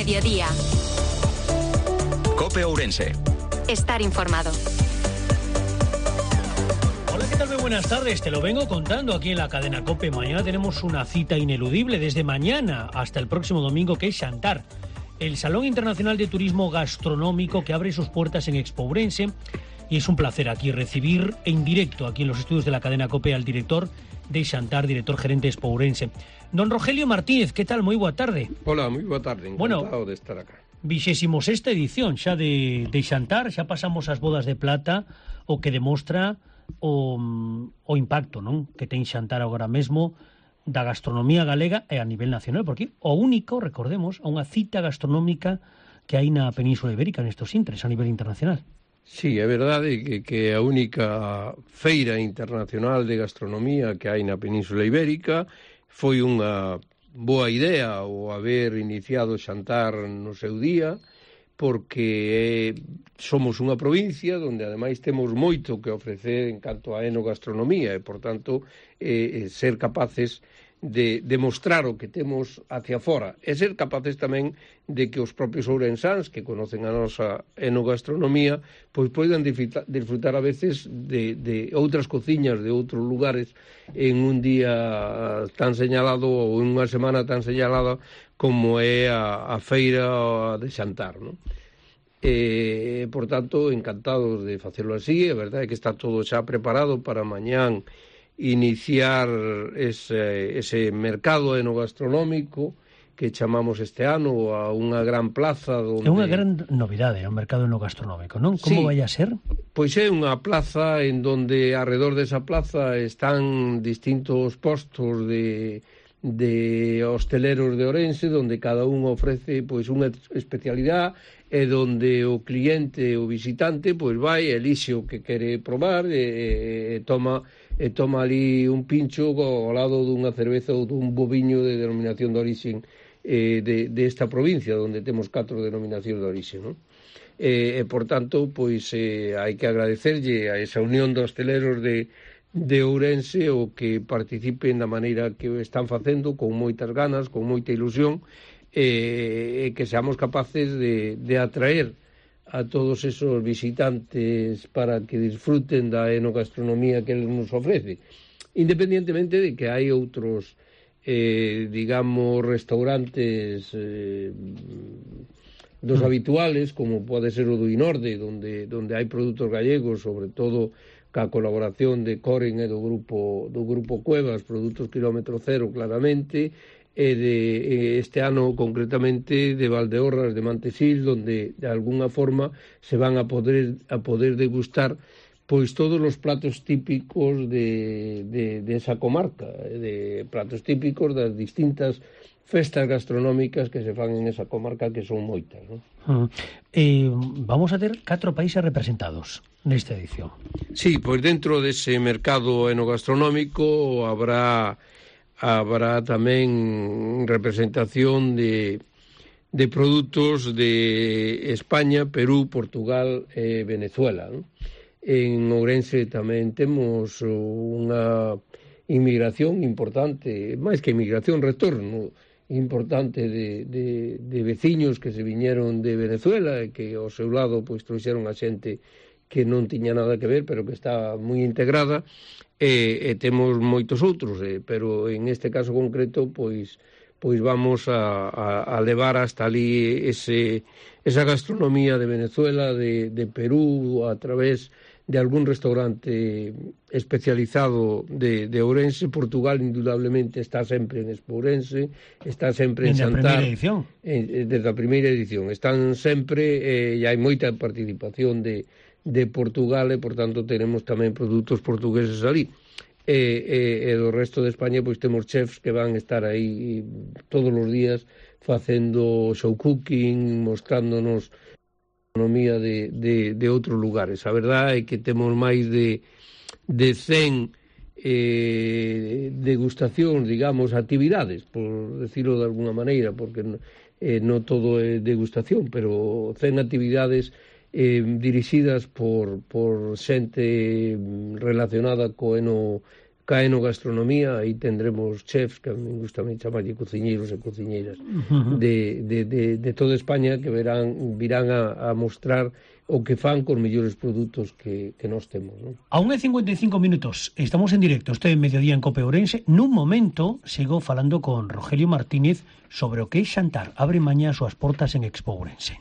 mediodía. COPE Ourense. Estar informado. Hola, ¿qué tal? Muy buenas tardes. Te lo vengo contando aquí en la cadena COPE. Mañana tenemos una cita ineludible desde mañana hasta el próximo domingo, que es Xantar, el Salón Internacional de Turismo Gastronómico que abre sus puertas en Expo Ourense. Y es un placer aquí recibir en directo, aquí en los estudios de la cadena COPE, al director de Xantar, director gerente de Expo Ourense. Don Rogelio Martínez, ¿qué tal? Moi boa tarde. Hola, moi boa tarde, encantado de estar acá. 26ª edición xa de Xantar, xa pasamos as bodas de plata, o que demostra o impacto, non, que ten Xantar agora mesmo da gastronomía galega e a nivel nacional, porque o único, recordemos, a unha cita gastronómica que hai na Península Ibérica nestes intres a nivel internacional. Sí, é verdade que a única feira internacional de gastronomía que hai na Península Ibérica. Foi unha boa idea o haber iniciado Xantar no seu día, porque somos unha provincia onde ademais temos moito que ofrecer en canto a enogastronomía e, por tanto, ser capaces de demostrar o que temos hacia fora e ser capaces tamén de que os propios ourensáns que conocen a nosa enogastronomía pois poidan disfrutar a veces de outras cociñas de outros lugares en un día tan señalado ou en unha semana tan señalada como é a feira de Xantar, non? Por tanto, encantados de facelo así. A verdade é que está todo xa preparado para mañán iniciar ese mercado enogastronómico que chamamos este ano a unha gran plaza donde... É unha gran novidade, o mercado enogastronómico, non? Como vai a ser? Pois é unha plaza en donde alrededor desa plaza están distintos postos de hosteleros de Ourense, donde cada un ofrece pois unha especialidade e donde o cliente, o visitante, pois vai, elixe o que quere probar e toma ali un pincho ao lado dunha cerveza ou dun boviño de denominación de orixen de esta provincia, onde temos 4 denominacións de orixen, non? E, por tanto, pois hai que agradecerlle a esa unión de hosteleros de Ourense o que participen da maneira que están facendo, con moitas ganas, con moita ilusión, e que seamos capaces de atraer a todos esos visitantes para que disfruten da enogastronomía que ele nos ofrece, independientemente de que hai outros digamos restaurantes dos habituales, como pode ser o do Inorde, donde hai produtos gallegos, sobre todo ca colaboración de Coren e do grupo Cuevas, produtos kilómetro cero claramente, e de este ano concretamente de Valdeorras de Mantesil, donde de alguna forma se van a poder degustar pois todos os platos típicos de esa comarca, de platos típicos das distintas festas gastronómicas que se fan en esa comarca, que son moitas, non? Vamos a ter 4 países representados nesta edición. Sí, pois dentro dese mercado enogastronómico habrá tamén representación de produtos de España, Perú, Portugal e Venezuela, non? En Ourense tamén temos unha inmigración importante, máis que inmigración, retorno importante de veciños que se viñeron de Venezuela e que ao seu lado pois trouxeron a xente que non tiña nada que ver, pero que está moi integrada, e temos moitos outros, pero en este caso concreto pois vamos a levar hasta ali esa gastronomía de Venezuela, de Perú, a través de algún restaurante especializado de Ourense. Portugal indudablemente está sempre en Expo Ourense, está sempre en Xantar. Desde a primeira edición. Están sempre, e hai moita participación de Portugal, e por tanto tenemos tamén produtos portugueses ali. E do resto de España pois temos chefs que van estar aí todos os días facendo show cooking, mostrándonos economía de outros lugares. A verdade é que temos máis de 100 degustacións, digamos, actividades, por decirlo de alguna maneira, porque non todo é degustación, pero 100 actividades dirixidas por xente relacionada co ca enogastronomía, aí tendremos chefs, que a mí gusta chamarlle cociñeiros e cociñeiras de toda España, que virán a mostrar o que fan cos mellores produtos que nós temos, non? A 1:55 minutos, estamos en directo, este Mediodía en Cope Ourense. Nun momento sigo falando con Rogelio Martínez sobre o que é xantar. Abre mañá as súas portas en Expo Ourense.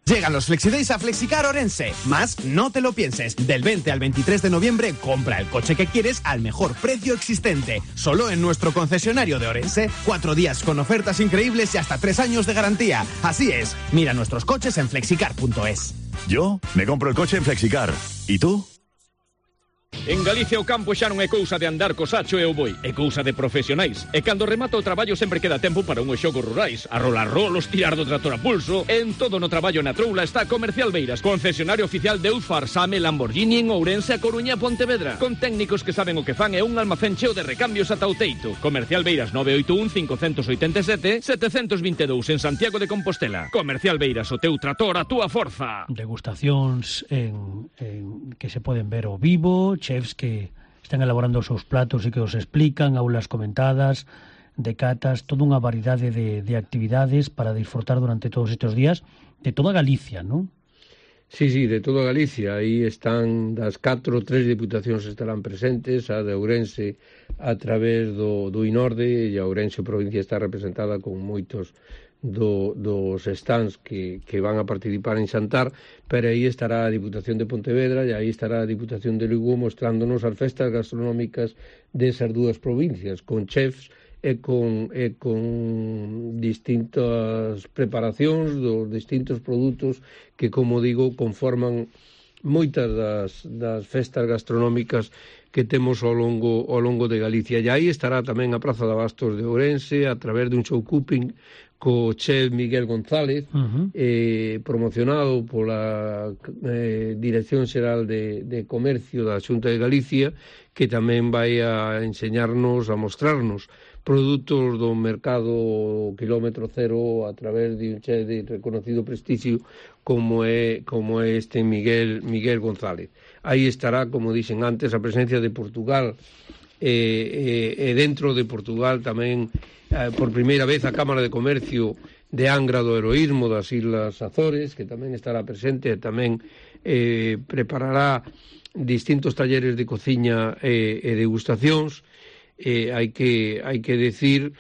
Llegan los FlexiDays a Flexicar Orense. Más no te lo pienses. Del 20 al 23 de noviembre, compra el coche que quieres al mejor precio existente. Solo en nuestro concesionario de Orense. 4 días con ofertas increíbles y hasta 3 años de garantía. Así es. Mira nuestros coches en flexicar.es. Yo me compro el coche en Flexicar. ¿Y tú? En Galicia o campo xa non é cousa de andar co sacho e o boi, é cousa de profesionais. E cando remata o traballo sempre queda tempo para unhos xogos rurais, a rolar rolos, tirar do trator a pulso. En todo no traballo na troula está Comercial Beiras, concesionario oficial de Eusfar, Same, Lamborghini en Ourense, A Coruña e Pontevedra, con técnicos que saben o que fan e un almacén cheo de recambios ata o teito. Comercial Beiras 981 587 722 en Santiago de Compostela. Comercial Beiras, o teu trator, a túa forza. Degustacións que se poden ver ao vivo, chefs que están elaborando os seus platos e que os explican, aulas comentadas, de catas, toda unha variedade de actividades para disfrutar durante todos estes días de toda Galicia, non? Sí, de toda Galicia. Aí están das 3 diputacións estarán presentes, a de Ourense a través do INORDE, e a Ourense provincia está representada con moitos dos stands que van a participar en xantar, pero aí estará a Diputación de Pontevedra e aí estará a Diputación de Lugo mostrándonos as festas gastronómicas desas dúas provincias, con chefs e con distintas preparacións dos distintos produtos que, como digo, conforman moitas das festas gastronómicas que temos ao longo de Galicia. E aí estará tamén a Praza de Abastos de Ourense a través dun show cooking co chef Miguel González, promocionado pola Dirección Xeral de Comercio da Xunta de Galicia, que tamén vai a enseñarnos, a mostrarnos produtos do mercado kilómetro cero a través de un chef de reconocido prestixio como é este Miguel González. Aí estará, como dixen antes, a presencia de Portugal e dentro de Portugal tamén por primeira vez a Cámara de Comercio de Angra do Heroísmo das Islas Azores, que tamén estará presente e tamén preparará distintos talleres de cociña e degustacións. Hai que decir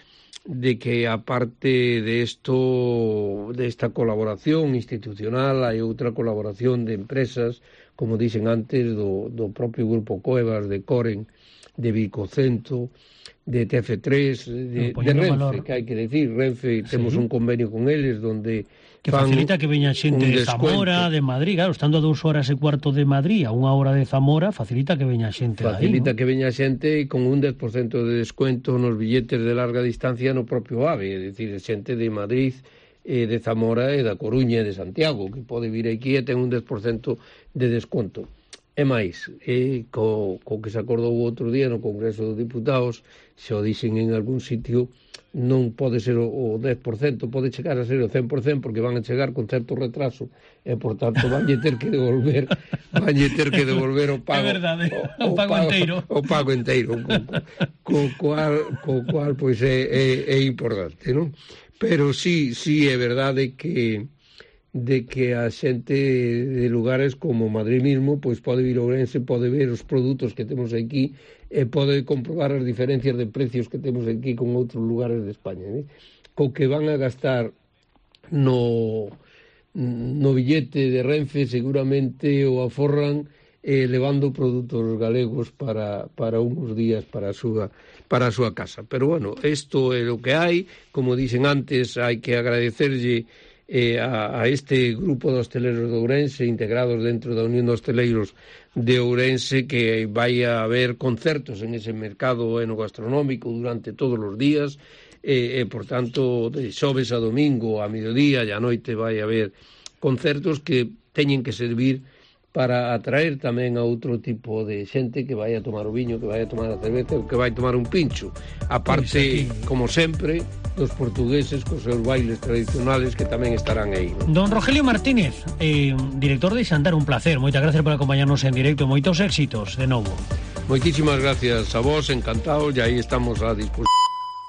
de que aparte de esta colaboración institucional hai outra colaboración de empresas, como dixen antes, do propio Grupo Cuevas, de Coren, de Bicocento, de TF3, de Renfe, que hai que decir, Renfe, temos un convenio con eles donde que facilita que veña xente de Zamora, de Madrid, claro, estando a 2 horas e cuarto de Madrid, a 1 hora de Zamora, facilita que veña xente aí, facilita que veña xente con un 10% de descuento nos billetes de larga distancia no propio AVE, é dicir, xente de Madrid, de Zamora e da Coruña e de Santiago, que pode vir aquí e ten un 10% de desconto. E máis, co que se acordou outro día no Congreso dos Diputados, se o dixen en algún sitio, non pode ser o 10%, pode chegar a ser o 100%, porque van a chegar con certo retraso, e, por tanto, vanlle ter que devolver o pago. É verdade, o pago enteiro. O pago enteiro, co cual, pois, é importante, non? Pero sí é verdade que a xente de lugares como Madrid mismo pois pode vir a Ourense, pode ver os produtos que temos aquí e pode comprobar as diferencias de precios que temos aquí con outros lugares de España, né? Co que van a gastar no billete de Renfe seguramente o aforran levando produtos galegos para uns días para a súa casa. Pero bueno, isto é o que hai. Como dixen antes, hai que agradecerlle a este grupo de hosteleros de Ourense integrados dentro da Unión de Hosteleiros de Ourense, que vai a haber concertos en ese mercado enogastronómico durante todos os días por tanto de xoves a domingo a mediodía e a noite vai a haber concertos que teñen que servir para atraer tamén a outro tipo de xente que vai a tomar o viño, que vai a tomar a cerveza ou que vai a tomar un pincho, aparte, como sempre, dos portugueses cos seus bailes tradicionales que tamén estarán aí, ¿no? Don Rogelio Martínez, director de Xantar, un placer, moitas gracias por acompañarnos en directo, moitos éxitos de novo. Moitísimas gracias a vos, encantado, e aí estamos a disposición.